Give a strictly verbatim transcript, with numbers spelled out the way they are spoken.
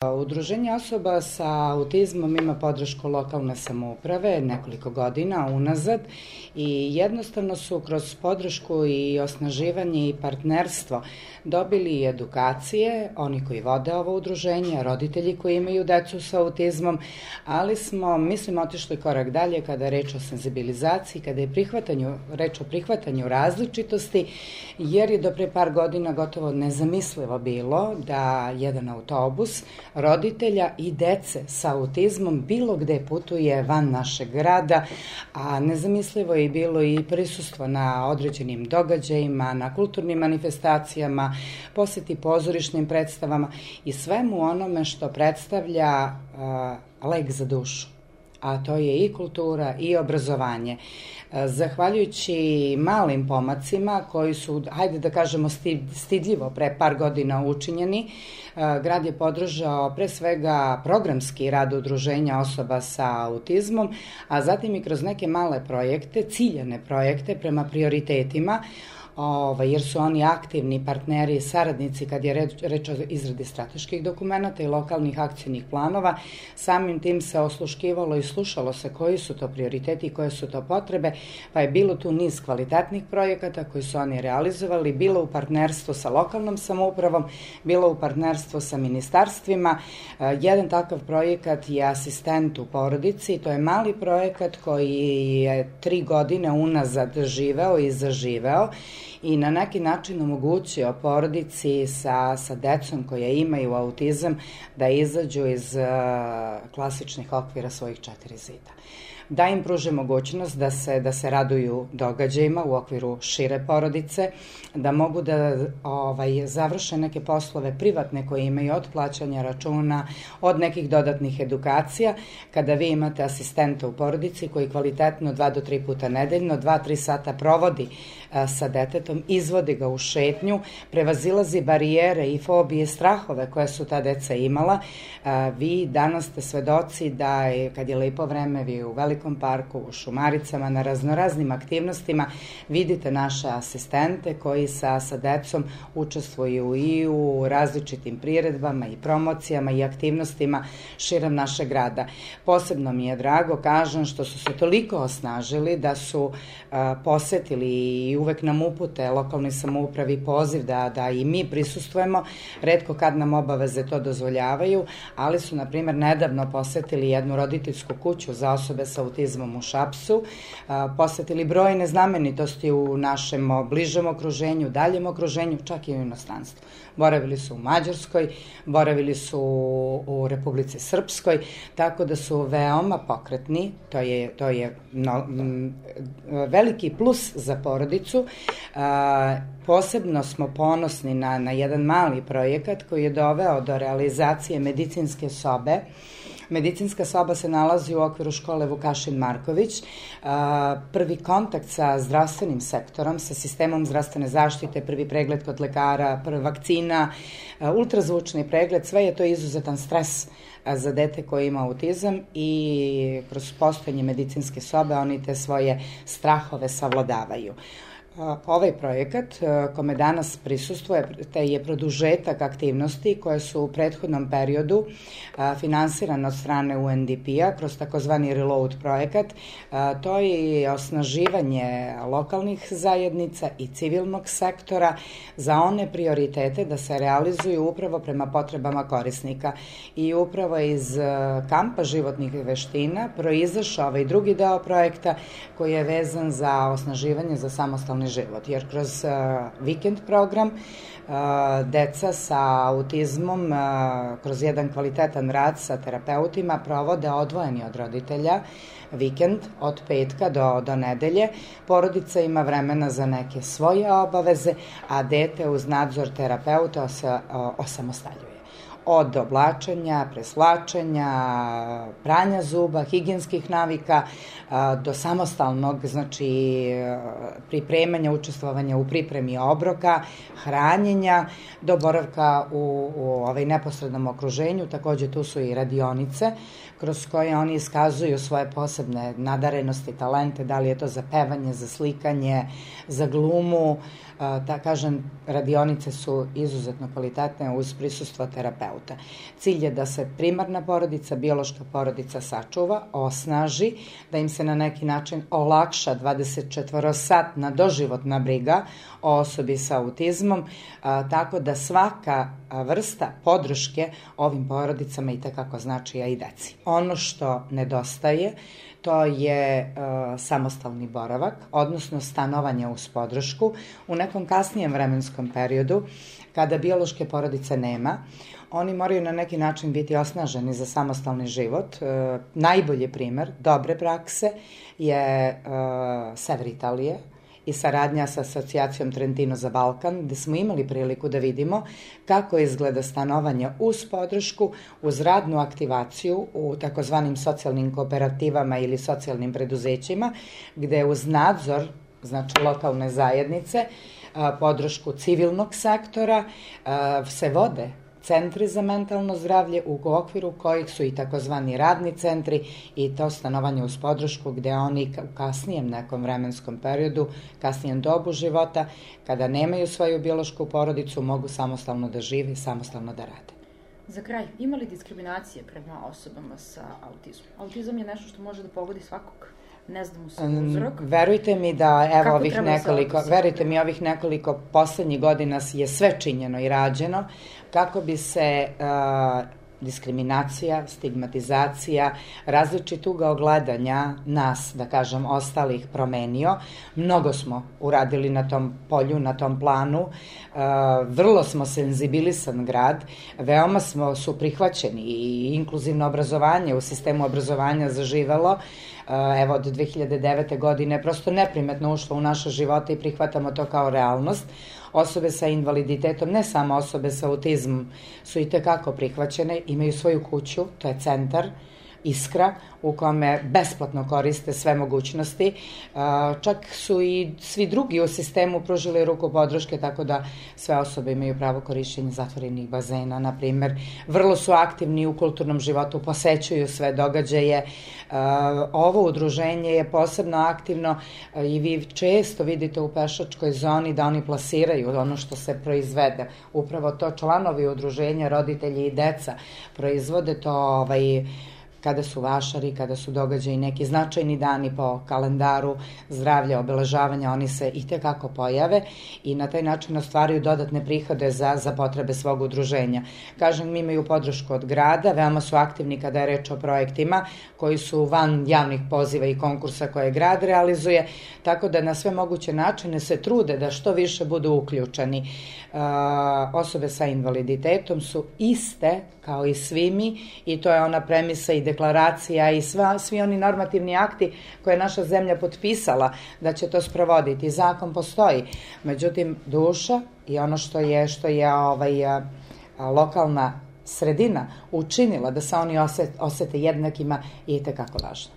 Udruženje osoba sa autizmom ima podršku lokalne samouprave nekoliko godina unazad i jednostavno su kroz podršku i osnaživanje i partnerstvo dobili edukacije, oni koji vode ovo udruženje, roditelji koji imaju decu sa autizmom, ali smo, mislim, otišli korak dalje kada je reč o senzibilizaciji, kada je prihvatanju, reč o prihvatanju različitosti, jer je do pre par godina gotovo nezamislivo bilo da jedan autobus roditelja i dece sa autizmom bilo gde putuje van našeg grada, a nezamislivo je bilo i prisustvo na određenim događajima, na kulturnim manifestacijama, poseti pozorišnim predstavama i svemu onome što predstavlja uh, lek za dušu, a to je i kultura i obrazovanje. Zahvaljujući malim pomacima koji su, hajde da kažemo, stidljivo pre par godina učinjeni, grad je podržao pre svega programski rad udruženja osoba sa autizmom, a zatim i kroz neke male projekte, ciljane projekte prema prioritetima, jer su oni aktivni partneri i saradnici kad je reč o izradi strateških dokumenta i lokalnih akcijnih planova. Samim tim se osluškivalo i slušalo se koji su to prioriteti i koje su to potrebe, pa je bilo tu niz kvalitetnih projekata koji su oni realizovali, bilo u partnerstvu sa lokalnom samoupravom, bilo u partnerstvu sa ministarstvima. Jedan takav projekat je Asistent u porodici, to je mali projekat koji je tri godine unazad živeo i zaživeo i na neki način omogućio porodici sa, sa decom koje imaju autizam da izađu iz uh, klasičnih okvira svojih četiri zida. Da im pruže mogućnost da se, da se raduju događajima u okviru šire porodice, da mogu da ovaj, završe neke poslove privatne koje imaju od plaćanja računa, od nekih dodatnih edukacija. Kada vi imate asistenta u porodici koji kvalitetno dva do tri puta nedeljno, dva, tri sata provodi a, sa detetom, izvodi ga u šetnju, prevazilazi barijere i fobije, strahove koje su ta deca imala, a, vi danas ste svedoci da je, kad je lepo vreme, vi u velikom parku, u Šumaricama, na raznoraznim aktivnostima vidite naše asistente koji sa, sa decom učestvuju i u različitim priredbama i promocijama i aktivnostima širom našeg grada. Posebno mi je drago, kažem, što su se toliko osnažili da su a, posetili i uvek nam upute lokalnoj samoupravi poziv da, da i mi prisustvujemo, retko kad nam obaveze to dozvoljavaju, ali su, na primjer, nedavno posetili jednu roditeljsku kuću za osobe sa autizmom u Šapcu, posetili brojne znamenitosti u našem bližem okruženju, daljem okruženju, čak i u inostranstvu. Boravili su u Mađarskoj, boravili su u Republici Srpskoj, tako da su veoma pokretni, to je, to je no, m, veliki plus za porodicu. A, posebno smo ponosni na, na jedan mali projekat koji je doveo do realizacije medicinske sobe. Medicinska soba se nalazi u okviru škole Vukašin Marković. Prvi kontakt sa zdravstvenim sektorom, sa sistemom zdravstvene zaštite, prvi pregled kod lekara, prva vakcina, ultrazvučni pregled, sve je to izuzetan stres za dete koje ima autizam i kroz postojanje medicinske sobe oni te svoje strahove savladavaju. Ovaj projekat kome danas prisustvuje te je produžetak aktivnosti koje su u prethodnom periodu finansirane od strane U N D P-a kroz takozvani Reload projekat. To je osnaživanje lokalnih zajednica i civilnog sektora za one prioritete da se realizuju upravo prema potrebama korisnika. I upravo iz kampa životnih veština proizašao ovaj drugi deo projekta koji je vezan za osnaživanje za samostalni život, jer kroz uh, vikend program uh, deca sa autizmom uh, kroz jedan kvalitetan rad sa terapeutima provode odvojeni od roditelja vikend od petka do, do nedelje. Porodica ima vremena za neke svoje obaveze, a dete uz nadzor terapeuta se uh, osamostaljuje. Od oblačenja, preslačenja, pranja zuba, higijenskih navika, do samostalnog, znači pripremanja, učestvovanja u pripremi obroka, hranjenja, do boravka u, u ovaj neposrednom okruženju. Takođe tu su i radionice kroz koje oni iskazuju svoje posebne nadarenosti, talente, da li je to za pevanje, za slikanje, za glumu. Da kažem, radionice su izuzetno kvalitetne uz prisustvo terapeuta. auta. Cilj je da se primarna porodica, biološka porodica sačuva, osnaži, da im se na neki način olakša dvadesetčetvorosatna doživotna briga o osobi sa autizmom, a, tako da svaka vrsta podrške ovim porodicama i tekako znači, a i deci. Ono što nedostaje, to je uh, samostalni boravak, odnosno stanovanje uz podršku u nekom kasnijem vremenskom periodu, kada biološke porodice nema. Oni moraju na neki način biti osnaženi za samostalni život. Uh, najbolji primer dobre prakse je uh, sever Italije i saradnja sa asocijacijom Trentino za Balkan, gde smo imali priliku da vidimo kako izgleda stanovanje uz podršku, uz radnu aktivaciju u takozvanim socijalnim kooperativama ili socijalnim preduzećima, gde uz nadzor, znači lokalne zajednice, podršku civilnog sektora, se vode centri za mentalno zdravlje u okviru kojih su i takozvani radni centri i to stanovanje uz podršku gde oni u kasnijem nekom vremenskom periodu, kasnijem dobu života, kada nemaju svoju biološku porodicu, mogu samostalno da žive i samostalno da rade. Za kraj, ima li diskriminacije prema osobama sa autizmom? Autizam je nešto što može da pogodi svakog. Ne znam u sam uzrok. Verujte mi da evo Kako ovih nekoliko, verujte mi ovih nekoliko poslednjih godina je sve činjeno i rađeno kako bi se uh, diskriminacija, stigmatizacija, različit ugao gledanja nas, da kažem, ostalih promenio. Mnogo smo uradili na tom polju, na tom planu. Uh, vrlo smo senzibilisan grad, veoma smo su prihvaćeni i inkluzivno obrazovanje u sistemu obrazovanja zaživelo. Evo, od dve hiljade devete. godine prosto neprimetno ušlo u naše živote i prihvatamo to kao realnost. Osobe sa invaliditetom, ne samo osobe sa autizmom, su i tekako prihvaćene, imaju svoju kuću, to je centar Iskra, u kome besplatno koriste sve mogućnosti. Čak su i svi drugi u sistemu pružili ruku podrške, tako da sve osobe imaju pravo korišćenja zatvorenih bazena, na primer. Vrlo su aktivni u kulturnom životu, posećuju sve događaje. Ovo udruženje je posebno aktivno i vi često vidite u pešačkoj zoni da oni plasiraju ono što se proizvede. Upravo to članovi udruženja, roditelji i deca proizvode to ovaj, kada su vašari, kada su događaji neki značajni dani po kalendaru zdravlja, obeležavanja, oni se i tekako pojave i na taj način ostvaraju dodatne prihode za, za potrebe svog udruženja. Kažem, mi imaju podršku od grada, veoma su aktivni kada je reč o projektima koji su van javnih poziva i konkursa koje grad realizuje, tako da na sve moguće načine se trude da što više budu uključeni. Uh, osobe sa invaliditetom su iste kao i svi mi i to je ona premisa i deklaracija i sva, svi oni normativni akti koje je naša zemlja potpisala da će to sprovoditi. Zakon postoji, međutim duša i ono što je, što je ovaj, a, a, lokalna sredina učinila da se oni osete, osete jednakima je itekako važno.